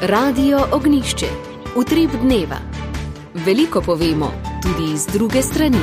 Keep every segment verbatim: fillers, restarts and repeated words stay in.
Radio Ognjišče. Utrip dneva. Veliko povemo, tudi iz druge strani.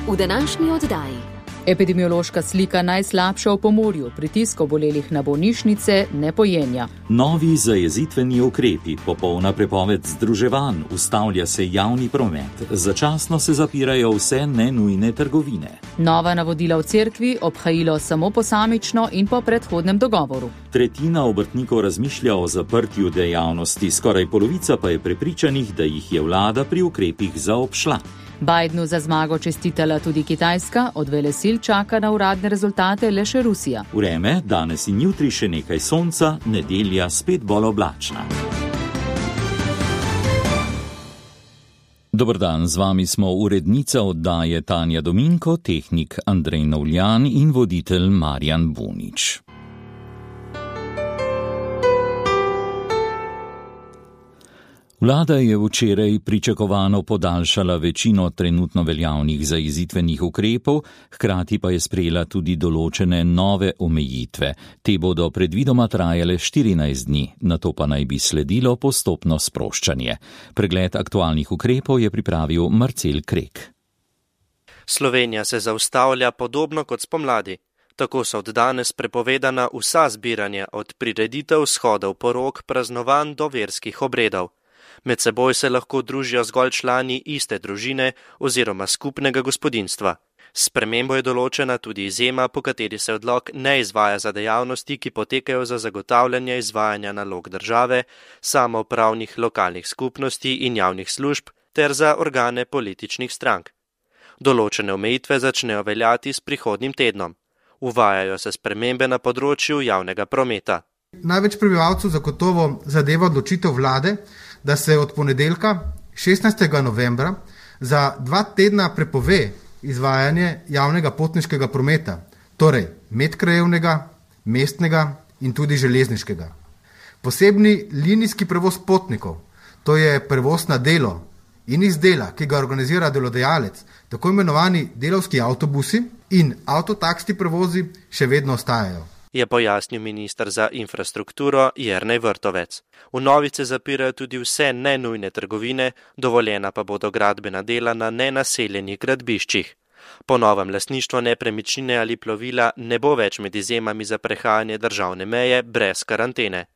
V današnji oddaji. Epidemiološka slika najslabša v Pomurju, pritisk obolelih na bolnišnice ne pojenja. Novi zajezitveni ukrepi, popolna prepoved združevanj, ustavlja se javni promet, začasno se zapirajo vse nenujne trgovine. Nova navodila v cerkvi, obhajilo samo posamično in po predhodnem dogovoru. Tretjina obrtnikov razmišlja o zaprtju dejavnosti, skoraj polovica pa je prepričanih, da jih je vlada pri ukrepih zaobšla. Bidenu za zmago čestitala tudi Kitajska, od velesil čaka na uradne rezultate le še Rusija. Vreme, danes in jutri še nekaj sonca, nedelja spet bolj oblačna. Dober dan, z vami smo urednica oddaje Tanja Dominko, tehnik Andrej Novljan in voditelj Marjan Bunič. Vlada je včeraj pričakovano podaljšala večino trenutno veljavnih zajezitvenih ukrepov, hkrati pa je sprejela tudi določene nove omejitve. Te bodo predvidoma trajale štirinajst dni, nato pa naj bi sledilo postopno sproščanje. Pregled aktualnih ukrepov je pripravil Marcel Krek. Slovenija se zaustavlja podobno kot spomladi. Tako so od danes prepovedana vsa zbiranja, od prireditev, shodov, porok, praznovanj do verskih obredov. Med seboj se lahko družijo zgolj člani iste družine oziroma skupnega gospodinjstva. S spremembo je določena tudi izjema, po kateri se odlok ne izvaja za dejavnosti, ki potekajo za zagotavljanje izvajanja nalog države, samoupravnih lokalnih skupnosti in javnih služb ter za organe političnih strank. Določene omejitve začnejo veljati s prihodnjim tednom. Uvajajo se spremembe na področju javnega prometa. Največ prebivalcev zagotovo zadeva odločitev vlade, da se od ponedeljka šestnajstega novembra za dva tedna prepove izvajanje javnega potniškega prometa, torej medkrajevnega, mestnega in tudi železniškega. Posebni linijski prevoz potnikov, to je prevoz na delo in iz dela, ki ga organizira delodajalec, tako imenovani delavski avtobusi in avtotaksi prevozi še vedno ostajajo, je pojasnil minister za infrastrukturo Jernej Vrtovec. V novice zapirajo tudi vse nenujne trgovine, dovoljena pa bodo gradbena dela na nenaseljenih gradbiščih. Po novem lastništvo nepremičnine ali plovila ne bo več med izjemami za prehajanje državne meje brez karantene.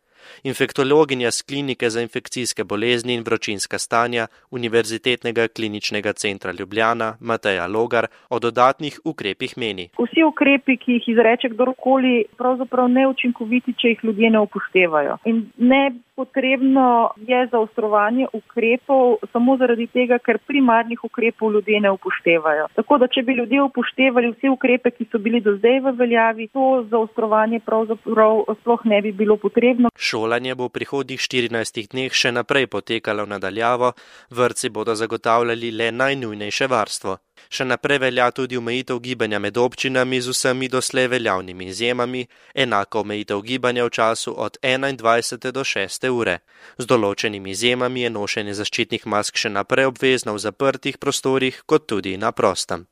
Infektologinja z klinike za infekcijske bolezni in vročinska stanja Univerzitetnega kliničnega centra Ljubljana Mateja Logar o dodatnih ukrepih meni. Vsi ukrepi, ki jih izreče kdorkoli, pravzaprav neučinkoviti, če jih ljudje ne upoštevajo. In ne potrebno je zaostrovanje ukrepov samo zaradi tega, ker primarnih ukrepov ljudje ne upoštevajo. Tako da, če bi ljudje upoštevali vse ukrepe, ki so bili do zdaj v veljavi, to zaostrovanje pravzaprav sploh ne bi bilo potrebno. Šolanje bo v prihodnjih štirinajstih dneh še naprej potekalo nadaljavo, vrtci bodo zagotavljali le najnujnejše varstvo. Še naprej velja tudi omejitev gibanja med občinami z vsemi doslej veljavnimi izjemami, enako omejitev gibanja v času od enaindvajsete do šeste ure. Z določenimi izjemami je nošenje zaščitnih mask še naprej obvezno v zaprtih prostorih, kot tudi na prostem.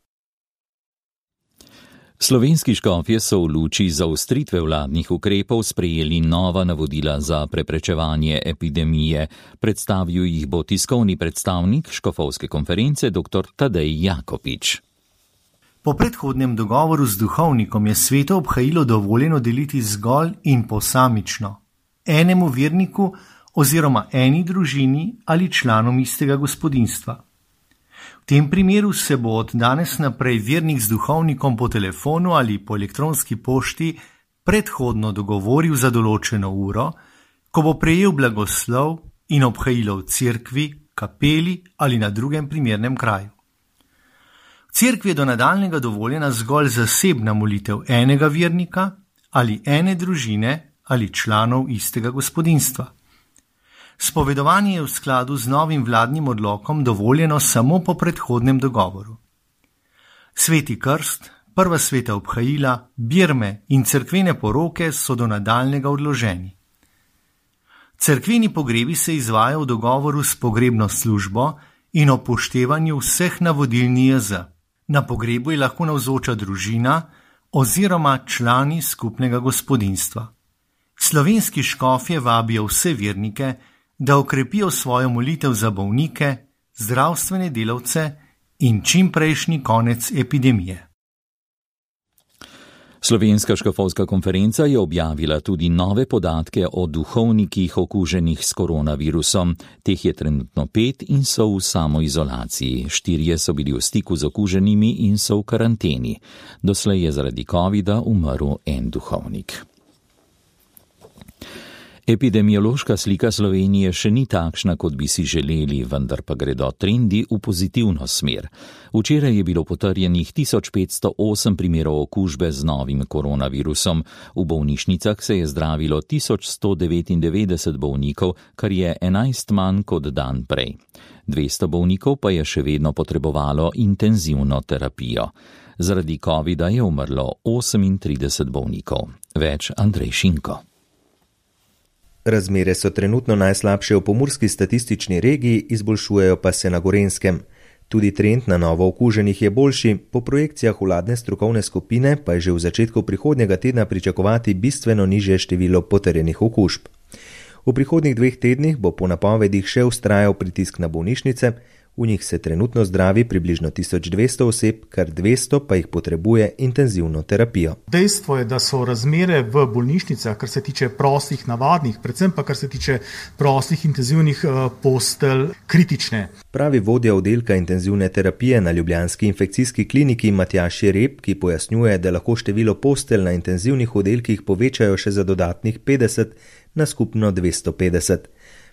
Slovenski škofje so v luči zaostritve vladnih ukrepov sprejeli nova navodila za preprečevanje epidemije. Predstavil jih bo tiskovni predstavnik škofovske konference dr. Tadej Jakopič. Po predhodnem dogovoru z duhovnikom je sveto obhajilo dovoljeno deliti zgolj in posamično, enemu verniku oziroma eni družini ali članom istega gospodinjstva. V tem primeru se bo od danes naprej vernik z duhovnikom po telefonu ali po elektronski pošti predhodno dogovoril za določeno uro, ko bo prejel blagoslov in obhajilo v cerkvi, kapeli ali na drugem primernem kraju. V cerkvi je do nadaljnjega dovoljena zgolj zasebna molitev enega vernika ali ene družine ali članov istega gospodinjstva. Spovedovanje je v skladu z novim vladnim odlokom dovoljeno samo po predhodnem dogovoru. Sveti krst, prva sveta obhajila, birme in cerkvene poroke so do nadaljnjega odloženi. Cerkveni pogrebi se izvajajo v dogovoru s pogrebno službo in upoštevanju vseh navodil N I J Z. Na pogrebu je lahko navzoča družina, oziroma člani skupnega gospodinjstva. Slovenski škofje vabijo vse vernike, da okrepijo svojo molitev za bolnike, zdravstvene delavce in čimprejšnji konec epidemije. Slovenska škofovska konferenca je objavila tudi nove podatke o duhovnikih okuženih s koronavirusom. Teh je trenutno pet in so v samoizolaciji. Štirje so bili v stiku z okuženimi in so v karanteni. Doslej je zaradi covida umrl en duhovnik. Epidemiološka slika Slovenije še ni takšna, kot bi si želeli, vendar pa gredo trendi v pozitivno smer. Včeraj je bilo potrjenih tisoč petsto osem primerov okužbe z novim koronavirusom. V bolnišnicah se je zdravilo tisoč sto devetindevetdeset bolnikov, kar je enajst manj kot dan prej. dvesto bolnikov pa je še vedno potrebovalo intenzivno terapijo. Zaradi covida je umrlo osemintrideset bolnikov. Več Andrej Šinko. Razmere so trenutno najslabše v pomurski statistični regiji, izboljšujejo pa se na Gorenjskem. Tudi trend na novo okuženih je boljši, po projekcijah vladne strokovne skupine pa je že v začetku prihodnjega tedna pričakovati bistveno nižje število potrjenih okužb. V prihodnjih dveh tednih bo po napovedih še vztrajal pritisk na bolnišnice, v njih se trenutno zdravi približno tisoč dvesto oseb, kar dvesto pa jih potrebuje intenzivno terapijo. Dejstvo je, da so razmere v bolnišnicah, kar se tiče prostih, navadnih, predvsem pa kar se tiče prostih intenzivnih postelj, kritične. Pravi vodja oddelka intenzivne terapije na ljubljanski infekcijski kliniki Matjaž Jereb, ki pojasnjuje, da lahko število postelj na intenzivnih oddelkih povečajo še za dodatnih petdeset na skupno dvesto petdeset.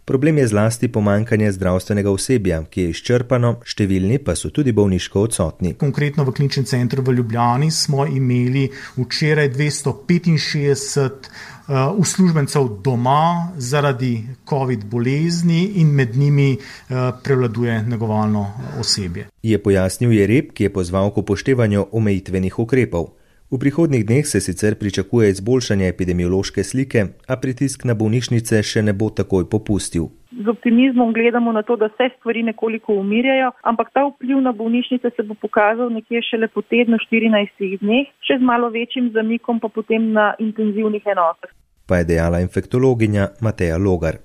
Problem je zlasti pomanjkanje zdravstvenega osebja, ki je izčrpano, številni pa so tudi bolniško odsotni. Konkretno v kliničnem centru v Ljubljani smo imeli včeraj dvesto petinšestdeset uh, uslužbencev doma zaradi covid bolezni in med njimi uh, prevladuje negovalno osebje. Je pojasnil Jereb, ki je pozval k upoštevanju omejitvenih ukrepov. V prihodnjih dneh se sicer pričakuje izboljšanje epidemiološke slike, a pritisk na bolnišnice še ne bo takoj popustil. Z optimizmom gledamo na to, da se stvari nekoliko umirjajo, ampak ta vpliv na bolnišnice se bo pokazal nekje šele po tednu štirinajstih dneh, še z malo večjim zamikom pa potem na intenzivnih enotah. Pa je dejala infektologinja Mateja Logar.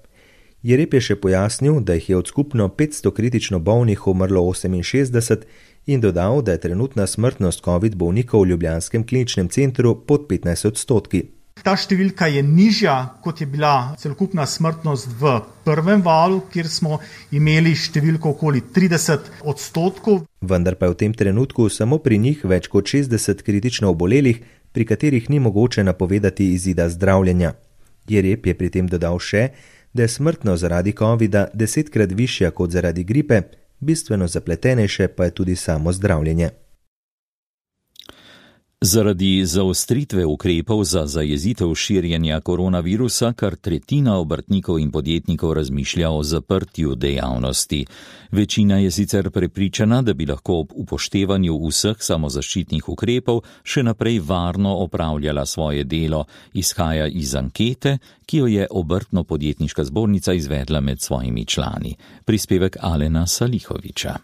Jereb je še pojasnil, da jih je od skupno petsto kritično bolnih umrlo oseminšestdeset in dodal, da je trenutna smrtnost covid bolnikov v ljubljanskem kliničnem centru pod petnajst odstotki. Ta številka je nižja, kot je bila celokupna smrtnost v prvem valu, kjer smo imeli številko okoli trideset odstotkov. Vendar pa je v tem trenutku samo pri njih več kot šestdeset kritično obolelih, pri katerih ni mogoče napovedati izida zdravljenja. Jereb je pri tem dodal še, da je smrtnost zaradi covida desetkrat višja kot zaradi gripe, bistveno zapletenejše pa je tudi samo zdravljenje. Zaradi zaostritve ukrepov za zajezitev širjenja koronavirusa kar tretjina obrtnikov in podjetnikov razmišlja o zaprtju dejavnosti. Večina je sicer prepričana, da bi lahko ob upoštevanju vseh samozaščitnih ukrepov še naprej varno opravljala svoje delo, izhaja iz ankete, ki jo je Obrtno-podjetniška zbornica izvedla med svojimi člani. Prispevek Alena Salihoviča.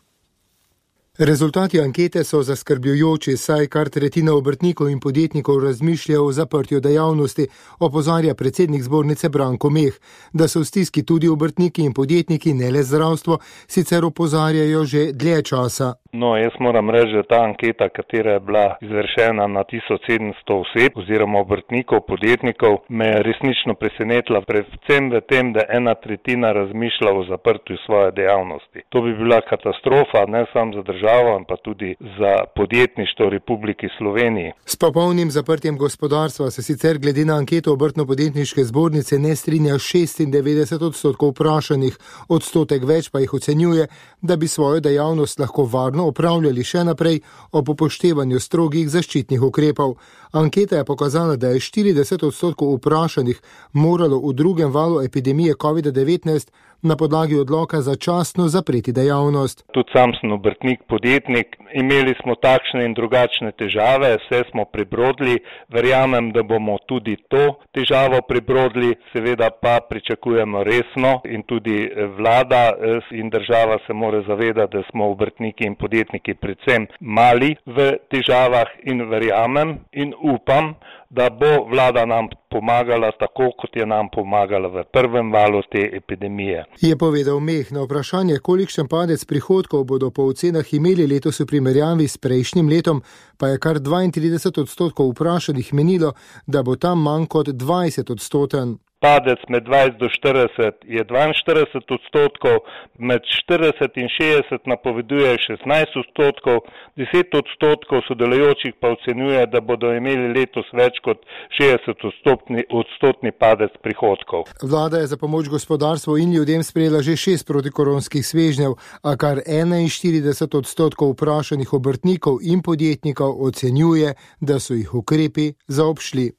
Rezultati ankete so zaskrbljujoči, saj kar tretjina obrtnikov in podjetnikov razmišlja o zaprtju dejavnosti, opozarja predsednik zbornice Branko Meh. Da so v stiski tudi obrtniki in podjetniki, ne le zdravstvo, sicer opozarjajo že dlje časa. No, jaz moram reči, da ta anketa, katera je bila izvršena na tisoč sedemsto oseb oziroma obrtnikov, podjetnikov, me je resnično presenetila, predvsem v tem, da ena tretjina razmišlja o zaprtju svoje dejavnosti. To bi bila katastrofa, ne samo za državo, pa tudi za podjetništvo v Republiki Sloveniji. S popolnim zaprtjem gospodarstva se sicer glede na anketo Obrtno-podjetniške zbornice ne strinja šestindevetdeset odstotkov vprašanih, odstotek več pa jih ocenjuje, da bi svojo dejavnost lahko varno opravljali še naprej ob upoštevanju strogih zaščitnih ukrepov. Anketa je pokazala, da je štirideset odstotkov vprašanih moralo v drugem valu epidemije covid devetnajst na podlagi odloka začasno zapreti dejavnost. Tudi sam sem obrtnik, podjetnik, imeli smo takšne in drugačne težave, vse smo prebrodili, verjamem, da bomo tudi to težavo prebrodili, seveda pa pričakujemo resno in tudi vlada in država se mora zavedati, da smo obrtniki in podjetniki predvsem mali v težavah in verjamem in upam, da bo vlada nam pomagala tako, kot je nam pomagala v prvem valu te epidemije. Je povedal Meh. Na vprašanje, kolikšen padec prihodkov bodo po ocenah imeli letos v primerjavi s prejšnjim letom, pa je kar dvaintrideset odstotkov vprašanih menilo, da bo tam manj kot dvajset odstoten. Padec med dvajset do štirideset je dvainštirideset odstotkov, med štirideset in šestdeset napoveduje šestnajst odstotkov, deset odstotkov sodelujočih pa ocenjuje, da bodo imeli letos več kot šestdeset odstotni, odstotni padec prihodkov. Vlada je za pomoč gospodarstvu in ljudem sprejela že šest protikoronskih svežnjev, a kar enainštirideset odstotkov vprašanih obrtnikov in podjetnikov ocenjuje, da so jih ukrepi zaobšli.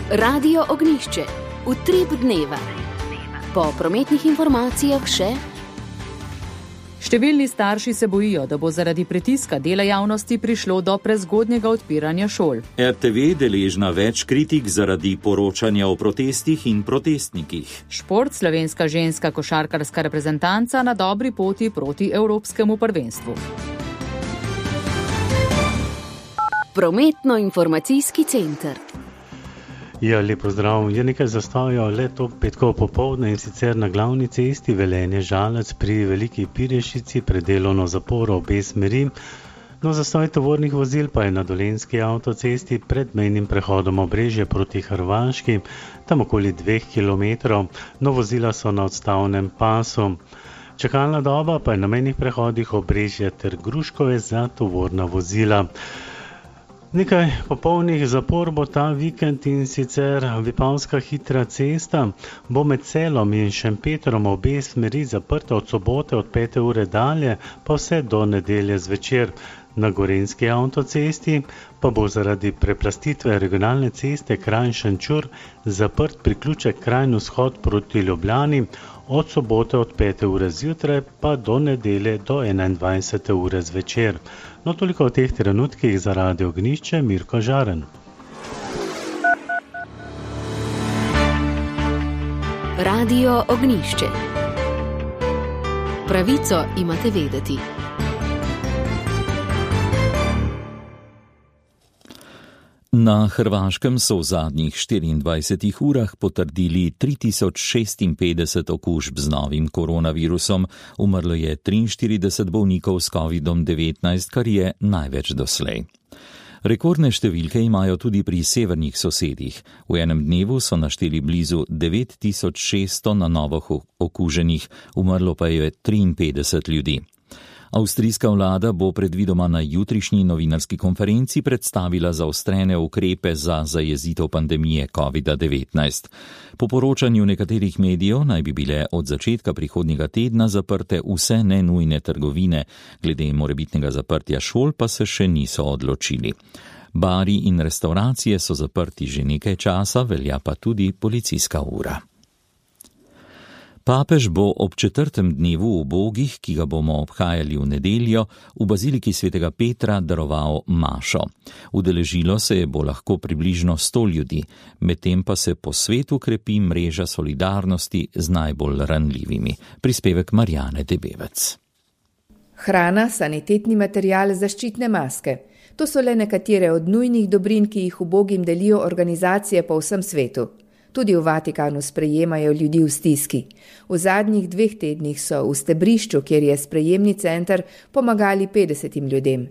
Radio Ognjišče, utrip dneva. Po prometnih informacijah še. Številni starši se bojijo, da bo zaradi pritiska dela javnosti prišlo do prezgodnjega odpiranja šol. R T V deležna več kritik zaradi poročanja o protestih in protestnikih. Šport, slovenska ženska košarkarska reprezentanca na dobri poti proti evropskemu prvenstvu. Prometno-informacijski center. Ja, lepo zdrav. Je nekaj zastojev le to petkovo popoldne in sicer na glavni cesti Velenje-Žalec pri Veliki Pirešici pred delovno zaporo obe smeri. No, zastoj tovornih vozil pa je na Dolenjski avtocesti pred mejnim prehodom Obrežje proti Hrvaški, tam okoli dveh kilometrov. No, vozila so na odstavnem pasu. Čakalna doba pa je na mejnih prehodih Obrežje ter Gruškove za tovorna vozila. Nekaj popolnih zapor bo ta vikend in sicer Vipavska hitra cesta bo med Celom in Šempetrom obe smeri zaprta od sobote od pete ure dalje pa vse do nedelje zvečer. Na Gorenjski avtocesti pa bo zaradi preplastitve regionalne ceste Kranj-Šenčur zaprt priključek Kranj-Vzhod proti Ljubljani od sobote od pete ure zjutraj pa do nedelje do enaindvajsete ure zvečer. No, toliko o teh trenutkih za Radio Ognjišče, Mirko Žaren. Radio Ognjišče. Pravico imate vedeti. Na Hrvaškem so v zadnjih štiriindvajsetih urah potrdili tri tisoč šestinpetdeset okužb z novim koronavirusom, umrlo je triinštirideset bolnikov s kovidom devetnajst, kar je največ doslej. Rekordne številke imajo tudi pri severnih sosedih. V enem dnevu so našteli blizu devet tisoč šeststo na novo okuženih, umrlo pa je triinpetdeset ljudi. Avstrijska vlada bo predvidoma na jutrišnji novinarski konferenci predstavila zaostrene ukrepe za zajezitev pandemije kovida devetnajst. Po poročanju nekaterih medijev naj bi bile od začetka prihodnjega tedna zaprte vse nenujne trgovine, glede morebitnega zaprtja šol pa se še niso odločili. Bari in restauracije so zaprti že nekaj časa, velja pa tudi policijska ura. Papež bo ob četrtem dnevu ubogih, ki ga bomo obhajali v nedeljo, v baziliki svetega Petra daroval mašo. Udeležilo se je bo lahko približno sto ljudi, medtem pa se po svetu krepi mreža solidarnosti z najbolj ranljivimi. Prispevek Marjane Debevec. Hrana, sanitetni material, zaščitne maske. To so le nekatere od nujnih dobrin, ki jih ubogim delijo organizacije po vsem svetu. Tudi v Vatikanu sprejemajo ljudi v stiski. V zadnjih dveh tednih so v Stebrišču, kjer je sprejemni center, pomagali petdesetim ljudem.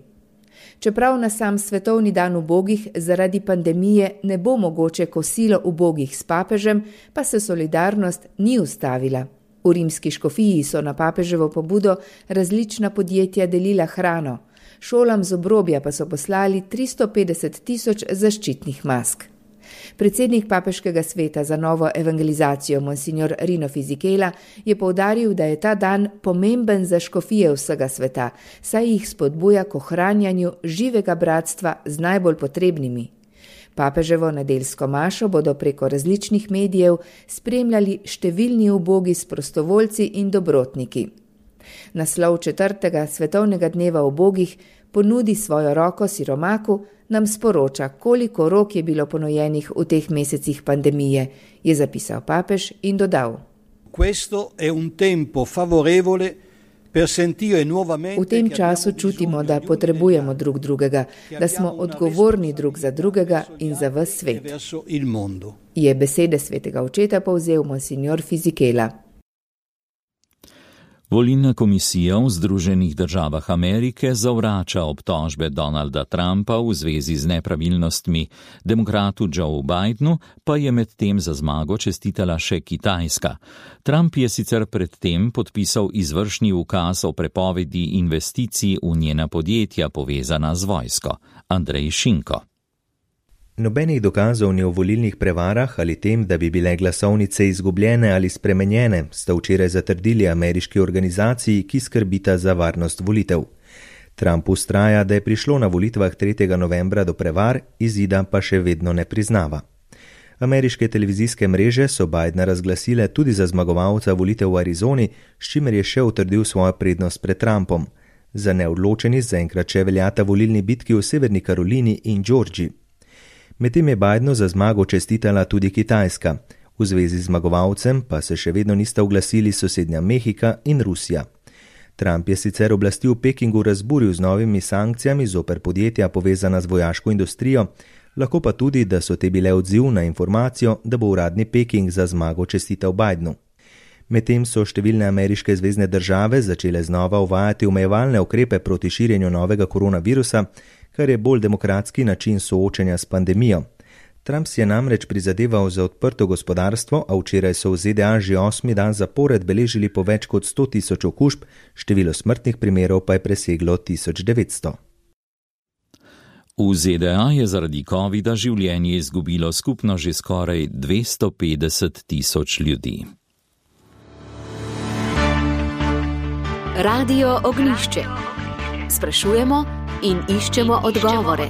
Čeprav na sam svetovni dan ubogih zaradi pandemije ne bo mogoče kosilo ubogih s papežem, pa se solidarnost ni ustavila. V rimski škofiji so na papeževo pobudo različna podjetja delila hrano. Šolam z obrobja pa so poslali tristo petdeset tisoč zaščitnih mask. Predsednik papeškega sveta za novo evangelizacijo, monsignor Rino Fisichella, je poudaril, da je ta dan pomemben za škofije vsega sveta, saj jih spodbuja k ohranjanju živega bratstva z najbolj potrebnimi. Papeževo nedeljsko mašo bodo preko različnih medijev spremljali številni ubogi s prostovoljci in dobrotniki. Naslov četrtega svetovnega dneva ubogih Ponudi svojo roko siromaku nam sporoča, koliko rok je bilo ponujenih v teh mesecih pandemije, je zapisal papež in dodal. V tem času čutimo, da potrebujemo drug drugega, da smo odgovorni drug za drugega in za ves svet. Je besede svetega očeta povzel monsignor Fisichella. Volilna komisija v Združenih državah Amerike zavrača obtožbe Donalda Trumpa v zvezi z nepravilnostmi. Demokratu Joe Bidenu pa je medtem za zmago čestitala še Kitajska. Trump je sicer predtem podpisal izvršni ukaz o prepovedi investicij v njena podjetja povezana z vojsko. Andrej Šinko. Nobenih dokazov ni o volilnih prevarah ali tem, da bi bile glasovnice izgubljene ali spremenjene, sta včeraj zatrdili ameriški organizaciji, ki skrbita za varnost volitev. Trump ustraja, da je prišlo na volitvah tretjega novembra do prevar, izida pa še vedno ne priznava. Ameriške televizijske mreže so Bidena razglasile tudi za zmagovalca volitev v Arizoni, s čimer je še utrdil svojo prednost pred Trumpom. Za neodločeni zaenkrat še veljata volilni bitki v Severni Karolini in Georgiji. Medtem je Bidenu za zmago čestitala tudi Kitajska. V zvezi z zmagovalcem pa se še vedno nista oglasili sosednja Mehika in Rusija. Trump je sicer oblasti v Pekingu razburil z novimi sankcijami zoper podjetja povezana z vojaško industrijo, lahko pa tudi, da so te bile odziv na informacijo, da bo uradni Peking za zmago čestital Bidenu. Medtem so številne ameriške zvezne države začele znova uvajati omejevalne ukrepe proti širjenju novega koronavirusa, kar je bolj demokratski način soočenja s pandemijo. Trump si je namreč prizadeval za odprto gospodarstvo, a včeraj so v Z D A že osmi dan zapored beležili po več kot sto tisoč okužb, število smrtnih primerov pa je preseglo tisoč devetsto. V Z D A je zaradi covida življenje izgubilo skupno že skoraj dvesto petdeset tisoč ljudi. Radio Ognjišče. Sprašujemo in iščemo odgovore.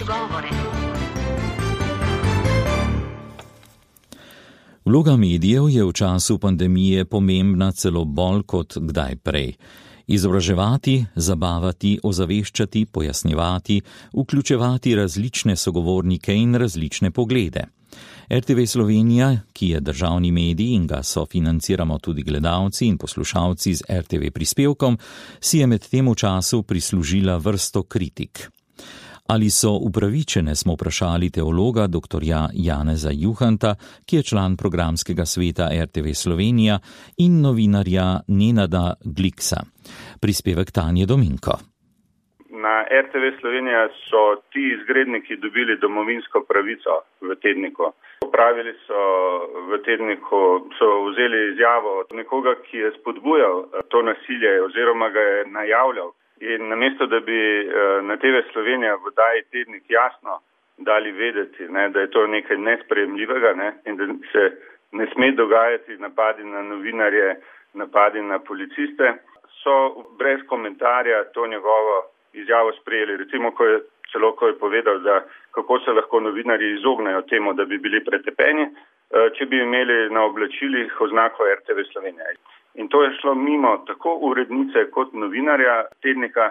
Vloga medijev je v času pandemije pomembna celo bolj kot kdaj prej. Izobraževati, zabavati, ozaveščati, pojasnjevati, vključevati različne sogovornike in različne poglede. R T V Slovenija, ki je državni medij in ga sofinanciramo tudi gledalci in poslušalci z R T V prispevkom, si je med tem v času prislužila vrsto kritik. Ali so upravičene, smo vprašali teologa doktorja Janeza Juhanta, ki je član programskega sveta R T V Slovenija, in novinarja Nenada Gliksa. Prispevek Tanje Dominko. Na R T V Slovenija so ti izgredniki dobili domovinsko pravico v tedniku. Opravili so v tedniku, so vzeli izjavo od nekoga, ki je spodbujal to nasilje oziroma ga je najavljal. In namesto, da bi na T V Slovenija v oddaji Tednik jasno dali vedeti, ne, da je to nekaj nesprejemljivega, ne, in da se ne sme dogajati napadi na novinarje, napadi na policiste, so brez komentarja to njegovo izjavo sprejeli. Recimo, ko je, celo ko je povedal, da kako se lahko novinarji izognejo temu, da bi bili pretepeni, če bi imeli na oblačilih oznako R T V Slovenija. In to je šlo mimo tako urednice kot novinarja tednika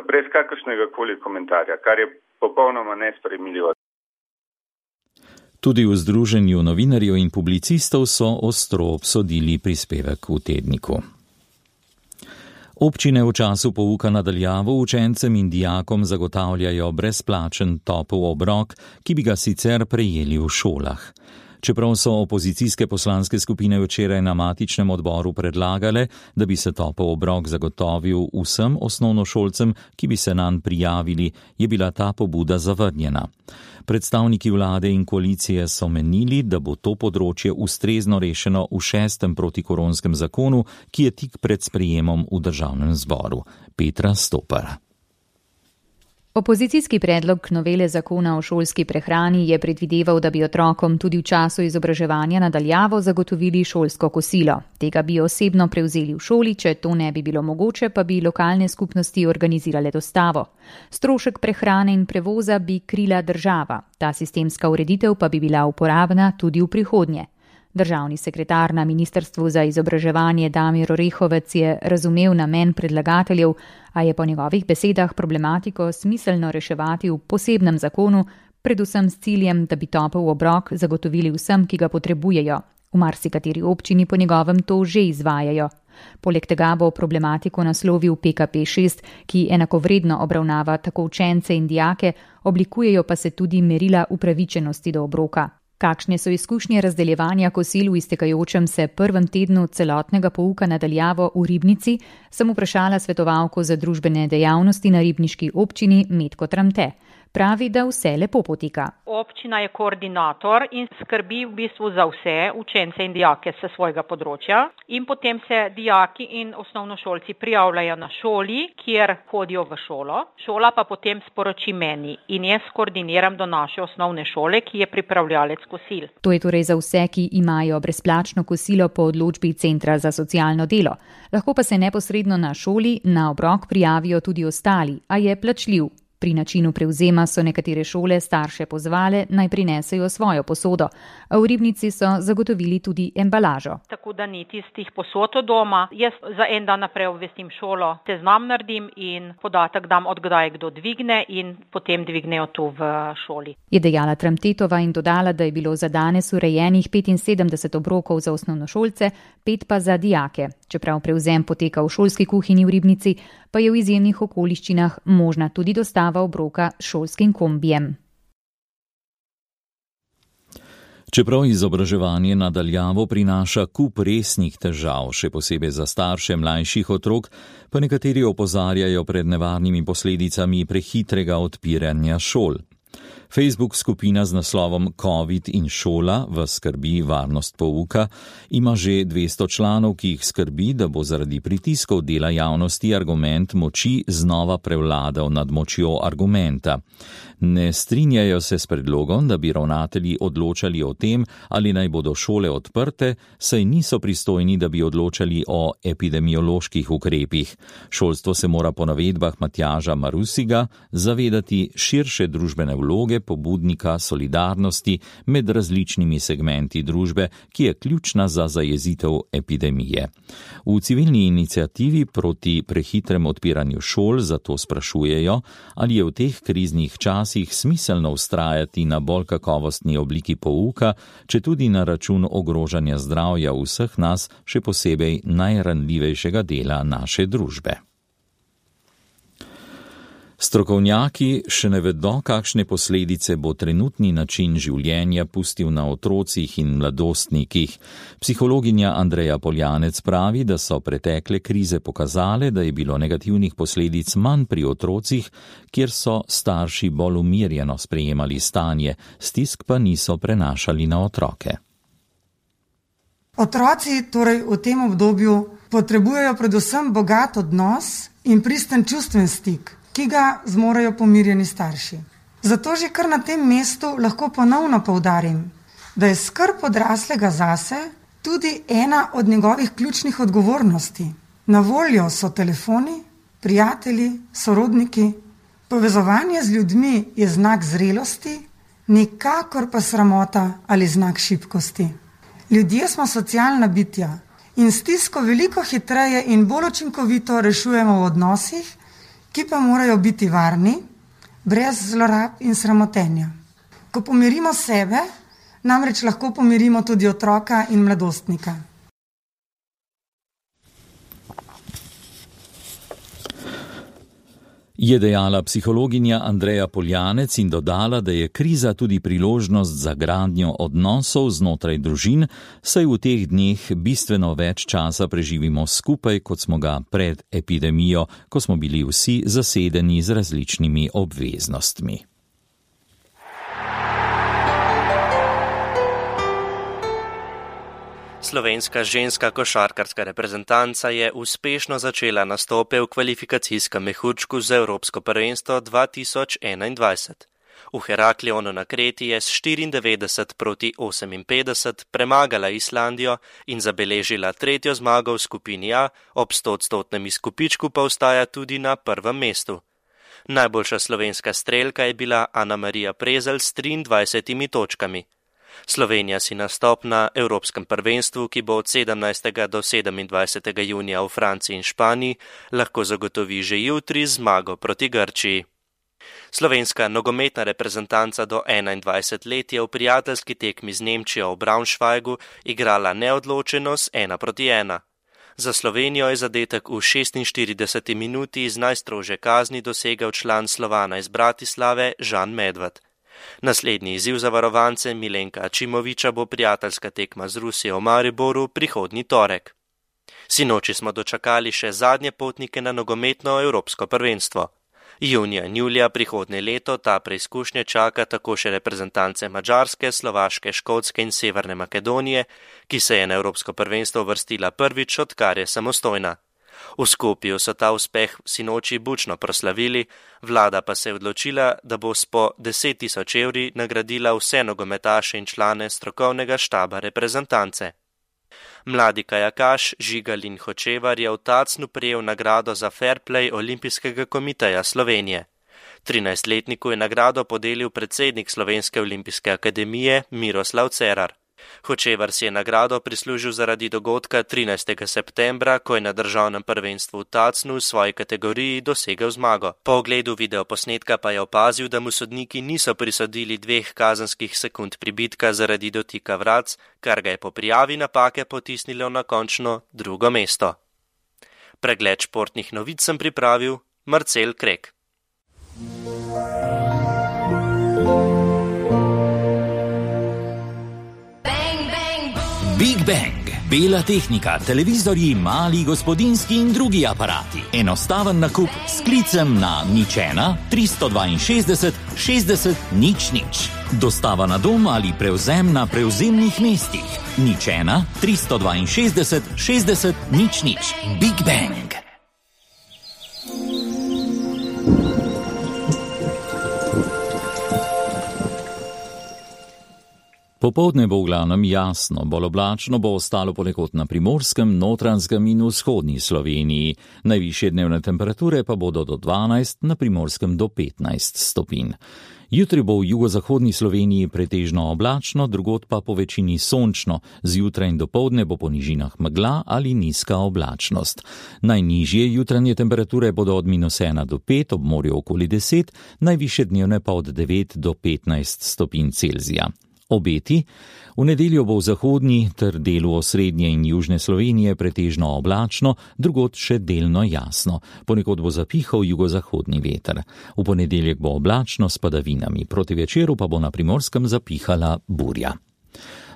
brez kakršnega koli komentarja, kar je popolnoma nesprejemljivo. Tudi v Združenju novinarjev in publicistov so ostro obsodili prispevek v tedniku. Občine v času pouka na daljavo učencem in dijakom zagotavljajo brezplačen topel obrok, ki bi ga sicer prejeli v šolah. Čeprav so opozicijske poslanske skupine včeraj na matičnem odboru predlagale, da bi se topel obrok zagotovil vsem osnovnošolcem, ki bi se nanj prijavili, je bila ta pobuda zavrnjena. Predstavniki vlade in koalicije so menili, da bo to področje ustrezno rešeno v šestem protikoronskem zakonu, ki je tik pred sprejemom v državnem zboru. Petra Stopar. Opozicijski predlog novele zakona o šolski prehrani je predvideval, da bi otrokom tudi v času izobraževanja nadaljavo zagotovili šolsko kosilo. Tega bi osebno prevzeli v šoli, če to ne bi bilo mogoče, pa bi lokalne skupnosti organizirale dostavo. Strošek prehrane in prevoza bi krila država. Ta sistemska ureditev pa bi bila uporabna tudi v prihodnje. Državni sekretar na Ministrstvu za izobraževanje Damir Orehovec je razumel namen predlagateljev, a je po njegovih besedah problematiko smiselno reševati v posebnem zakonu, predvsem s ciljem, da bi topel obrok zagotovili vsem, ki ga potrebujejo. V marsikateri občini po njegovem to že izvajajo. Poleg tega bo problematiko naslovil P K P šest, ki enakovredno obravnava tako učence in dijake, oblikujejo pa se tudi merila upravičenosti do obroka. Kakšne so izkušnje razdeljevanja kosil v iztekajočem se prvem tednu celotnega pouka nadaljavo v Ribnici, sem vprašala svetovalko za družbene dejavnosti na ribniški občini Metko Tramte. Pravi, da vse lepo poteka. Občina je koordinator in skrbi v bistvu za vse učence in dijake se svojega področja in potem se dijaki in osnovnošolci prijavljajo na šoli, kjer hodijo v šolo. Šola pa potem sporoči meni in jaz koordiniram do naše osnovne šole, ki je pripravljalec kosil. To je torej za vse, ki imajo brezplačno kosilo po odločbi Centra za socialno delo. Lahko pa se neposredno na šoli na obrok prijavijo tudi ostali, a je plačljiv. Pri načinu prevzema so nekatere šole starše pozvale, naj prinesejo svojo posodo, a v Ribnici so zagotovili tudi embalažo. Tako da ni tistih posod od doma. Jaz za en dan naprej obvestim šolo, seznam naredim in podatek dam, od kdaj kdo dvigne in potem dvignejo tu v šoli. Je dejala Tramtetova in dodala, da je bilo za danes urejenih petinsedemdeset obrokov za osnovnošolce, pet pa za dijake. Čeprav prevzem poteka v šolski kuhinji v Ribnici, pa je v izjemnih okoliščinah možna tudi dostava obroka s šolskim kombijem. Čeprav izobraževanje nadaljavo prinaša kup resnih težav, še posebej za starše mlajših otrok, pa nekateri opozarjajo pred nevarnimi posledicami prehitrega odpiranja šol. Facebook skupina z naslovom Covid in šola v skrbi varnost pouka ima že dvesto članov, ki jih skrbi, da bo zaradi pritiskov dela javnosti argument moči znova prevladal nad močjo argumenta. Ne strinjajo se s predlogom, da bi ravnatelji odločali o tem, ali naj bodo šole odprte, saj niso pristojni, da bi odločali o epidemioloških ukrepih. Šolstvo se mora po navedbah Matjaža Marusiga zavedati širše družbene vloge pobudnika solidarnosti med različnimi segmenti družbe, ki je ključna za zajezitev epidemije. V civilni iniciativi proti prehitrem odpiranju šol zato sprašujejo, ali je v teh kriznih časih smiselno vztrajati na bolj kakovostni obliki pouka, če tudi na račun ogrožanja zdravja vseh nas, še posebej najranljivejšega dela naše družbe. Strokovnjaki še ne vedo, kakšne posledice bo trenutni način življenja pustil na otrocih in mladostnikih. Psihologinja Andreja Poljanec pravi, da so pretekle krize pokazale, da je bilo negativnih posledic manj pri otrocih, kjer so starši bolj umirjeno sprejemali stanje, stisk pa niso prenašali na otroke. Otroci torej v tem obdobju potrebujejo predvsem bogat odnos in pristen čustven stik, ki ga zmorejo pomirjeni starši. Zato že kar na tem mestu lahko ponovno poudarim, da je skrb odraslega zase tudi ena od njegovih ključnih odgovornosti. Na voljo so telefoni, prijatelji, sorodniki. Povezovanje z ljudmi je znak zrelosti, nikakor pa sramota ali znak šibkosti. Ljudje smo socialna bitja in stisko veliko hitreje in bolj učinkovito rešujemo v odnosih, ki pa morajo biti varni, brez zlorab in sramotenja. Ko pomirimo sebe, namreč lahko pomirimo tudi otroka in mladostnika. Je dejala psihologinja Andreja Poljanec in dodala, da je kriza tudi priložnost za gradnjo odnosov znotraj družin, saj v teh dneh bistveno več časa preživimo skupaj, kot smo ga pred epidemijo, ko smo bili vsi zasedeni z različnimi obveznostmi. Slovenska ženska košarkarska reprezentanca je uspešno začela nastope v kvalifikacijskem mehurčku za Evropsko prvenstvo dva tisoč enaindvajset. V Heraklionu na Kreti je s štiriindevetdeset proti oseminpetdeset premagala Islandijo in zabeležila tretjo zmago v skupini A, ob stoodstotnem izkupičku pa ostaja tudi na prvem mestu. Najboljša slovenska strelka je bila Ana Marija Prezelj s triindvajsetimi točkami. Slovenija si nastop na Evropskem prvenstvu, ki bo od sedemnajstega do sedemindvajsetega junija v Franciji in Španiji, lahko zagotovi že jutri zmago proti Grčiji. Slovenska nogometna reprezentanca do enaindvajset let je v prijateljski tekmi z Nemčijo v Braunschweigu igrala neodločeno s ena proti ena. Za Slovenijo je zadetek v šestinštirideseti minuti iz najstrožje kazni dosegel član Slovana iz Bratislave Žan Medved. Naslednji izziv za varovance Milenka Ačimoviča bo prijateljska tekma z Rusijo v Mariboru prihodnji torek. Sinoči smo dočakali še zadnje potnike na nogometno Evropsko prvenstvo. Junija in julija prihodnje leto ta preizkušnje čaka tako še reprezentance Madžarske, Slovaške, Škotske in Severne Makedonije, ki se je na Evropsko prvenstvo vrstila prvič, odkar je samostojna. V Skopju so ta uspeh sinoči bučno proslavili, vlada pa se je odločila, da bo s po deset tisoč evri nagradila vse nogometaše in člane strokovnega štaba reprezentance. Mladi kajakaš Žigalin Hočevar je v Tacnu prejel nagrado za fair play Olimpijskega komiteja Slovenije. trinajstletniku je nagrado podelil predsednik Slovenske olimpijske akademije Miroslav Cerar. Hočevar si je nagrado prislužil zaradi dogodka trinajstega septembra, ko je na državnem prvenstvu v Tacnu v svoji kategoriji dosegel zmago. Po ogledu videoposnetka pa je opazil, da mu sodniki niso prisodili dveh kazenskih sekund pribitka zaradi dotika vratc, kar ga je po prijavi napake potisnilo na končno drugo mesto. Pregled športnih novic sem pripravil Marcel Krek. Big Bang, bela tehnika, televizorji, mali gospodinjski in drugi aparati. Enostaven nakup s klicem na nič ena tristo dvainšestdeset šestdeset nič nič. Dostava na dom ali prevzem na prevzemnih mestih. nič ena tristo dvainšestdeset šestdeset nič nič. Big Bang. Popoldne bo v glavnem jasno, bolj oblačno bo ostalo ponekod na Primorskem, Notranjskem in vzhodni Sloveniji. Najvišje dnevne temperature pa bodo do dvanajst, na Primorskem do petnajst stopinj. Jutri bo v jugozahodni Sloveniji pretežno oblačno, drugod pa po večini sončno. Zjutraj in dopoldne bo po nižinah megla ali nizka oblačnost. Najnižje jutranje temperature bodo od minus ena do pet, ob morju okoli deset, najvišje dnevne pa od devet do petnajst stopinj Celzija. Obeti. V nedeljo bo v zahodni ter delu osrednje in južne Slovenije pretežno oblačno, drugod še delno jasno. Ponekod bo zapihal jugozahodni veter. V ponedeljek bo oblačno s padavinami, proti večeru pa bo na Primorskem zapihala burja.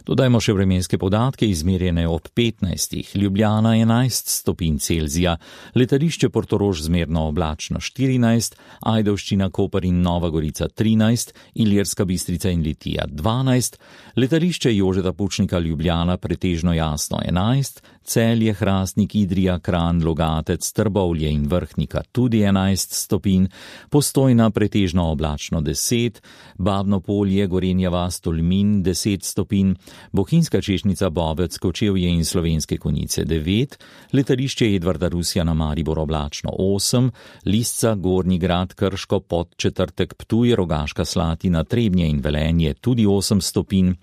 Dodajmo še vremenske podatke, izmerjene ob petnajstih. Ljubljana enajst stopinj Celzija, letališče Portorož zmerno oblačno štirinajst, Ajdovščina, Koper in Nova Gorica trinajst, Ilirska Bistrica in Litija dvanajst, letališče Jožeta Pučnika Ljubljana pretežno jasno enajst, Celje, Hrastnik, Idrija, Kranj, Logatec, Trbovlje in Vrhnika tudi enajst stopinj, Postojna pretežno oblačno deset, Babno Polje, Gorenja vas, Tolmin deset stopinj, Bohinjska Češnica, Bovec, Kočevje in Slovenske Konjice devet, letališče Edvarda Rusja na Maribor oblačno osem, Lisca, Gornji Grad, Krško, Podčetrtek, Ptuj, Rogaška Slatina, Trebnje in Velenje tudi osem stopinj,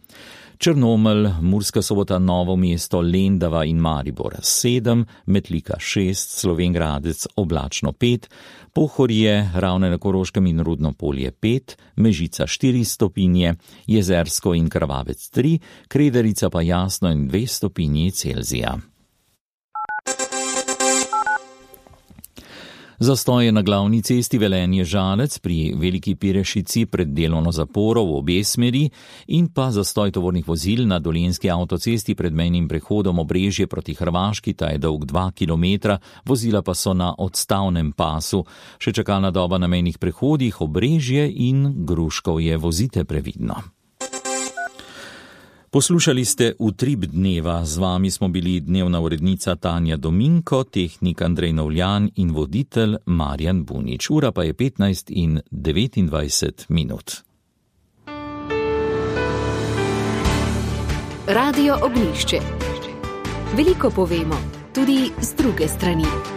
Črnomelj, Murska Sobota, Novo mesto, Lendava in Maribor sedem, Metlika šest, Slovenj Gradec oblačno pet, Pohorje, Ravne na Koroškem in Rudno Polje pet, Mežica štiri stopinje, Jezersko in Krvavec tri, Krederica pa jasno in dve stopinji Celzija. Zastoj je na glavni cesti Velenje-Žalec pri Veliki Pirešici pred delovno zaporo v obe smeri in pa zastoj tovornih vozil na Dolenjski avtocesti pred mejnim prehodom Obrežje proti Hrvaški, ta je dolg dva kilometra, vozila pa so na odstavnem pasu. Še čakalna doba na mejnih prehodih Obrežje in Gruškovje, vozite previdno. Poslušali ste Utrip dneva, z vami smo bili dnevna urednica Tanja Dominko, tehnik Andrej Novljan in voditelj Marjan Bunič. Ura pa je petnajst in devetindvajset minut. Radio Ognjišče. Veliko povemo, tudi z druge strani.